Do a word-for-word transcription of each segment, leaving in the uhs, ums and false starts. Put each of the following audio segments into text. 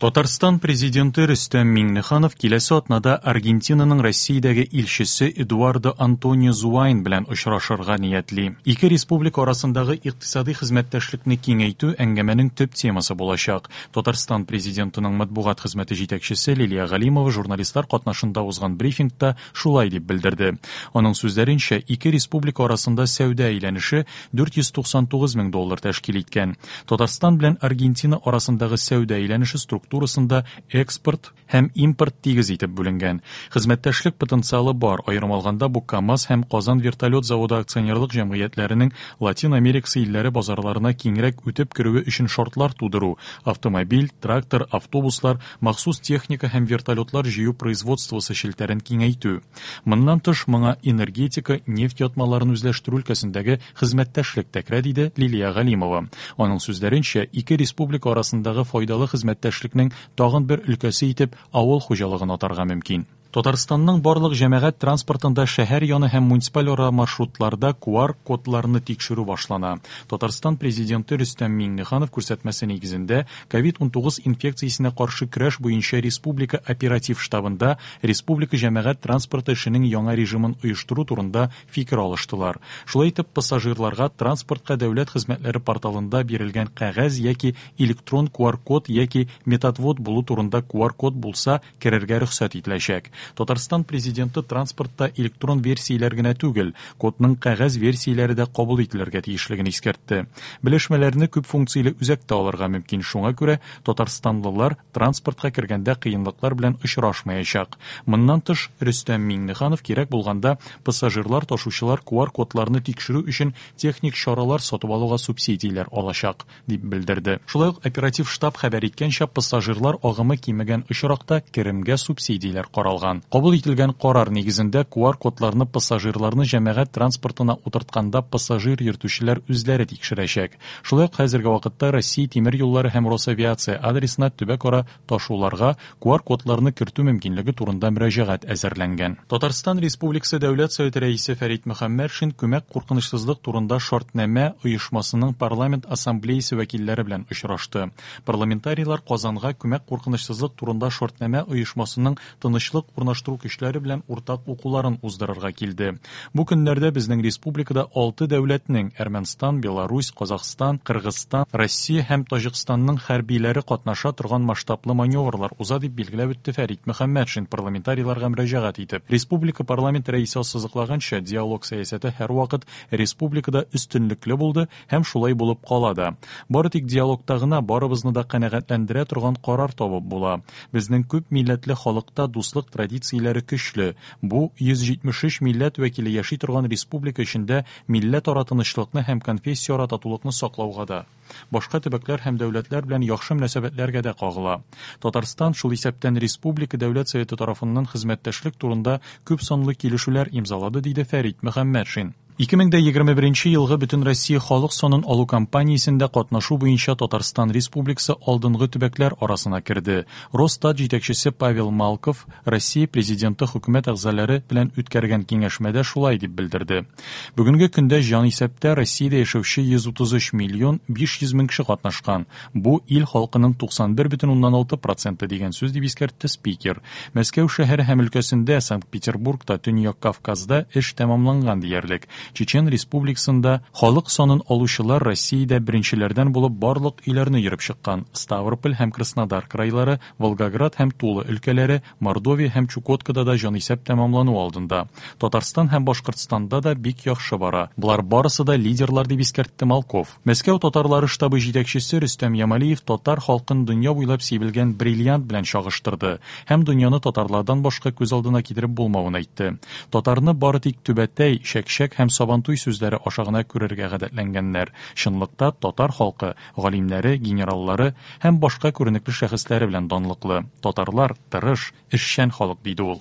Татарстан президенты Рөстәм Миңнеханов киләсе атнада Аргентинаның Россиядәге илчесе Эдуардо Антонио Зуайн белән очрашырга ниятли. Ике республика арасындагы икътисади хезмәттәшлекне киңәйтү әңгәмәнең төп темасы булачак. Татарстан президентының матбугат хезмәте җитәкчесе Лилия Галимова журналистлар катнашында узган брифингта шулай дип белдерде. Аның сүзләренчә, ике республика арасында сәүдә әйләнеше дүрт йөз туксан тугыз мең доллар тәшкил иткән. Татарстан белән Аргентина арасындагы сәүдә әйләнеше структурасында экспорт һәм импорт тигез итеп бүленгән. Хезмәттәшлек потенциалы бар, аерым алганда бу КАМАЗ һәм Казан вертолет заводы акционерлык җәмгыятьләренең Латин Америкасы илләре базарларына киңрәк үтеп керүе өчен шартлар тудыру, автомобиль, трактор, автобуслар, махсус техника һәм вертолетлар җыю производствосы челтәрен киңәйтү. Моннан тыш моңа энергетика, нефть ятмаларын үзләштерү өлкәсендәге хезмәттәшлек тә керә, диде Лилия Галимова. Аның сүзләренчә, ике республика арасындагы файдалы хезмәттәшлекнең тагын бер өлкәсе итеп авыл хуҗалыгын атарга мөмкин. Татарстанның барлык җәмәгать транспортында шәһәр яны һәм муниципаль ара маршрутларда ку ар кодларны тикшерү башлана. Татарстан президенты Рөстәм Миңнеханов күрсәтмәсе нигезендә ковид унтугыз инфекциясенә каршы көрәш буенча республика оператив штабында республика җәмәгать транспорты эшенең яңа режимын оештыру турында фикер алыштылар. Шулай итеп, пассажирларга транспортка дәүләт хезмәтләре порталында бирелгән кәгазь яки электрон ку ар код яки методвод булу турында ку ар код булса керергә рөхсәт ителәчәк. Татарстан президенты транспортта электрон версияләр генә түгел, кодның кәгазь версияләре дә кабул ителергә тиешлеген искәртте. Белешмәләрне күп функцияле үзәктә алырга мөмкин, шуңа күрә татарстанлылар транспортка кергәндә кыенлыклар белән очрашмаячак. Моннан тыш, Рөстәм Миңнеханов кирәк булганда пассажирлар ташучылар ку ар кодларны тикшерү өчен техник чаралар сатып алуга субсидияләр алачак, дип белдерде. Шулай ук оператив штаб хәбәр иткәнчә, пассажирлар агымы кимегән очракта керемгә субсидияләр каралган. Кабул ителгән карар нигезендә ку ар кодларны пассажирларны җәмәгать транспортына утыртканда пассажир йөртүчеләр үзләре тикшерәчәк. Шулай ук хәзерге вакытта Россия тимер юллары һәм Росавиация адресына төбәкара ташуларга ку ар кодларны кертү мөмкинлеге турында мөрәҗәгать әзерләнгән. Татарстан Республикасы Дәүләт Советы рәисе Фәрит Мөхәммәтшин күмәк куркынычсызлык турында шартнамә оешмасының парламент ассамблеясы вәкилләре белән очрашты. Парламентарийлар Казанга күмәк куркынычсызлык турында шартнамә оешмасының тынычлык урнаштыру көчләре белән уртак укуларын уздырырга килде. Бу көннәрдә безнең республикада алты дәүләтнең Әрмәнстан, Беларусь, Казахстан, Кыргызстан, Россия һәм Таҗикстанның хәрбиләре катнаша торган масштаблы маневрлар уза, дип билгеләп үтте Фәрит Мөхәммәтшин парламентарийларга мөрәҗәгать итеп. Республика парламент рәисе ассызыклаганча, диалог сәясәте һәрвакыт республикада өстенлекле булды һәм шулай булып кала да. Бары тик диалогта гына барыбызны да канәгатьләндерә торган карар табып була. Безнең күп милләтле халыкта дуслык традицияләре көчле. Бу йөз җитмеш өч милләт вәкиле яши торган республика эчендә милләтара тынычлыкны һәм конфессияара татулыкны саклауга да, башка төбәкләр һәм дәүләтләр белән яхшы мөнәсәбәтләргә дә кагыла. Татарстан шул исәптән Республика Дәүләт Советы тарафыннан хезмәттәшлек турында күп санлы килешүләр имзалады, диде Фәрит Мөхәммәтшин. Ике мең дә егерме беренче елгы Бөтен Россия халык санын алу кампаниясендә катнашу буенча Татарстан Республикасы алдынгы төбәкләр арасына керде. Росстат җитәкчесе Павел Малков Россия президенты хөкүмәт әгъзалары белән үткәргән киңәшмәдә шулай дип белдерде. Бүгенге көндә җанисәптә Россиядә яшәүче йөз утыз өч миллион биш йөз мең кеше катнашкан. Бу ил халкының туксан бер бөтен уннан алты проценты дигән сүз, дип искәртте спикер. Мәскәү шәһәре һәм өлкәсендә, Санкт-Петербургта, Төньяк Кавказда эш тәмамланган диярлек. Чечен Республикасында халык санын алучылар Россиядә беренчеләрдән булып барлык өйләрне йөреп чыккан. Ставрополь һәм Краснодар крайлары, Волгоград һәм Тула өлкәләре, Мордовия һәм Чукоткада да җанисәп тәмамлану алдында. Татарстан һәм Башкортстанда да бик яхшы бара. Болар барысы да лидерлар, дип искәртте Малков. Мәскәү татарлары штабы җитәкчесе Рөстәм Ямалиев татар халкын дөнья буйлап сибелгән бриллиант белән чагыштырды һәм дөньяны татарлардан башка күз алдына китереп булмавын әйтте. Татарны бары тик түбәтәй, чәкчәк һәм Сабантуй сүзләре аша гына күрергә гадәтләнгәннәр. Чынлыкта татар халкы галимнәре, генераллары һәм башка күренекле шәхесләре белән данлыклы. Татарлар тырыш, эшчән халык, диде ул.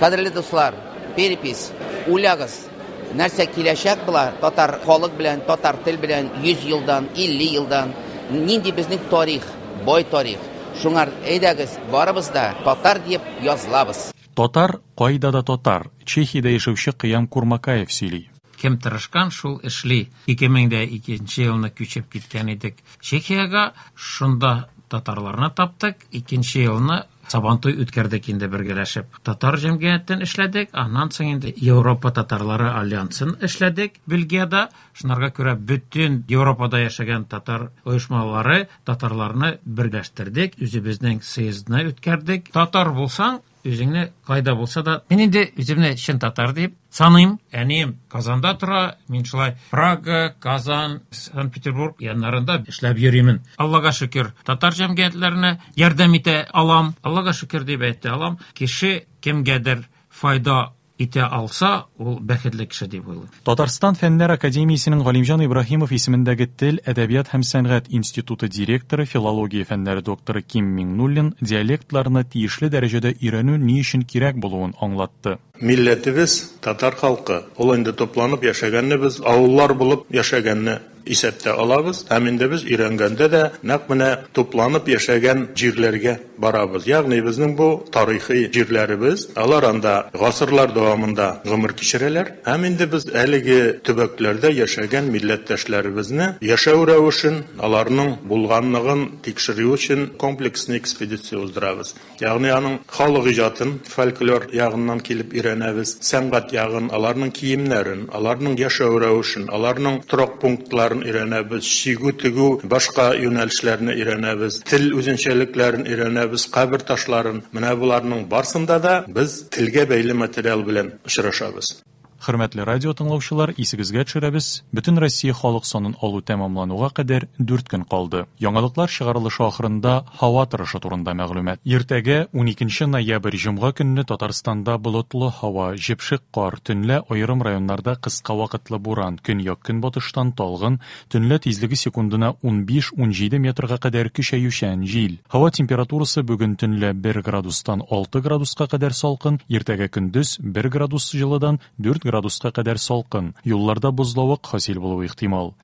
Кадерле дуслар, перепись, уйлагыз, нәрсә киләчәк була татар халык белән, татар тел белән йөз елдан, илле елдан, нинди безнең тарих, бай тарих. Шуңар әйдәгез, барыбыз да татар дип язылабыз. Татар кайда да татар. Чехиядә яшәүче Кыям Курмакаев сөйли. Кем тырышкан, шул эшли. Ике мең дә икенче елны күчеп киткән идек Чехиягә. Шунда Татарларны таптык. Икенче елны Сабантуй үткәрдек инде бергәләшеп. Татар җәмгыятен эшләдек, аннан соң инде Европа татарлары альянсын эшләдек Бельгиядә. Шунарга күрә бөтен Европада яшәгән татар оешмалары татарларны берләштердек, үзебезнең съездны үткәрдек. Татар булсаң, үзеңне кайда булса да, мин инде үземне чын татар дип саныйм. Әнием Казанда тора, мин шулай Прага, Казан, Санкт-Петербург яннарында эшләп йөримен. Аллага шөкер, татар җәмгыятьләренә ярдәм итә алам. Аллага шөкер дип әйтә алам. Кеше кемгәдер файда итә алса, ул бәхетле кеше дип уйлыйм. Татарстан Фәннәр академиясенең Галимҗан Ибраһимов исемендәге Тел, әдәбият һәм сәнгать институты директоры, филология фәннәре докторы Ким Миңнуллин диалектларны тиешле дәрәҗәдә өйрәнү ни өчен кирәк булуын аңлатты. Милләтебез татар халкы, ул инде тупланып яшәгәнне без авыллар булып яшәгәнне исәптә алабыз. Һәм инде без өйрәнгәндә дә нәкъ менә тупланып яшәгән җирләргә барабыз. Ягъни безнең бу тарихи җирләребез, алар анда гасырлар дәвамында гомер кичерәләр. Һәм инде без әлеге төбәкләрдә яшәгән милләттәшләребезне яшәү рәвешен, аларның булганлыгын тикшерү өчен комплексный экспедиция уздырабыз. Ягъни аның халык иҗатын, фольклор ягыннан килеп өйрәнәбез, сәнгать ягын, аларның киемнәрен, аларның яшәү рәвешен, аларның торак пунктларын өйрәнәбез, чигү, тегү, башка юнәлешләрне өйрәнәбез, тел үзенчәлекләрен өйрәнәбез, кабер ташларын. Менә буларның барсында да без телгә бәйле материал белән очрашабыз. Хөрмәтле радио тыңлаучылар, исегезгә төшерәбез, бөтен Россия халык санын алу тәмамлануга кадәр дүрт көн калды. Яңалыклар чыгарылышы ахырында һава торышы турында мәгълүмат. Иртәгә уникенче ноябрь җомга көнне Татарстанда болытлы һава, җепшек кар, төнлә аерым районнарда кыска вакытлы буран, көньяк-көнбатыштан талгын, төнлә тизлеге секундына унбиш-унҗиде метрга кадәр көчәючән җил. Һава температурасы бүген төнлә бер градустан алты градуска кадәр салкын, иртәгә көндез бер градус җылыдан дүрт градуска кадәр салкын. Юлларда бозлавык хасил булуы ихтимал.